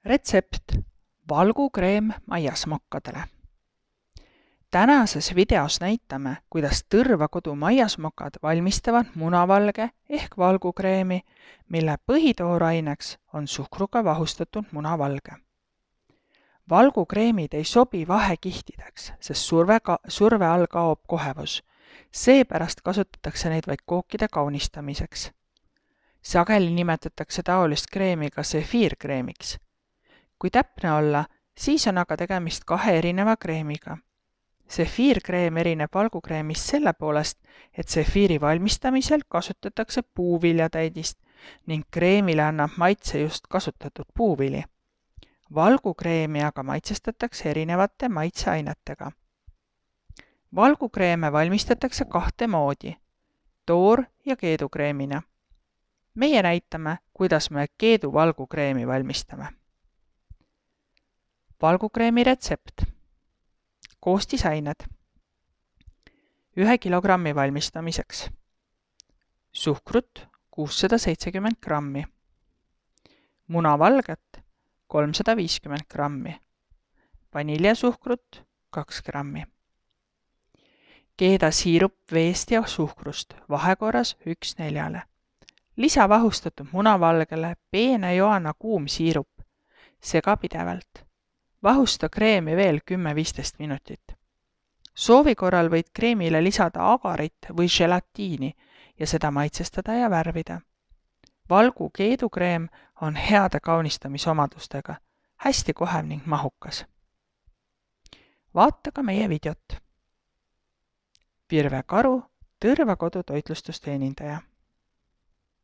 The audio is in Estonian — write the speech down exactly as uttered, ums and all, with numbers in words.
Retsept valgukreem maiasmokkadele. Tänases videos näitame, kuidas Tõrvakodu maiasmokad valmistavad munavalge ehk valgukreemi, mille põhitooraineks on suhkruga vahustatud munavalge. Valgukreemid ei sobi vahekihtideks, sest surve, ka, surve all kaob kohevus. Seepärast kasutatakse neid vaid kookide kaunistamiseks. Sageli nimetatakse taolist kreemi ka sefiirkreemiks. Kui täpne olla, siis on aga tegemist kahe erineva kreemiga. Sefiirkreem erineb valgukreemist selle poolest, et sefiiri valmistamisel kasutatakse puuviljatäidist ning kreemile annab maitse just kasutatud puuvili. Valgukreemi aga maitsestatakse erinevate maitseainetega. Valgukreeme valmistatakse kahte moodi, toor- ja keedukreemina. Meie näitame, kuidas me keedu valgukreemi valmistame. Valgukreemi retsept. Koostisained. Ühe kilogrammi valmistamiseks. Suhkrut kuussada seitsekümmend grammi. Munavalget kolmsada viiskümmend grammi. Vaniljasuhkrut kaks grammi. Keeda siirup veest ja suhkrust vahekorras üks neljale. Lisa vahustatud munavalgele peene joana kuum siirup. Sega pidevalt. Vahusta kreemi veel kümme viisteist minutit. Soovi korral võid kreemile lisada agarit või gelatiini ja seda maitsestada ja värvida. Valgu keedukreem on heade kaunistamisomadustega, hästi kohev ning mahukas. Vaata ka meie videot. Virve Karu, Tõrvakodu toitlustusteenindaja.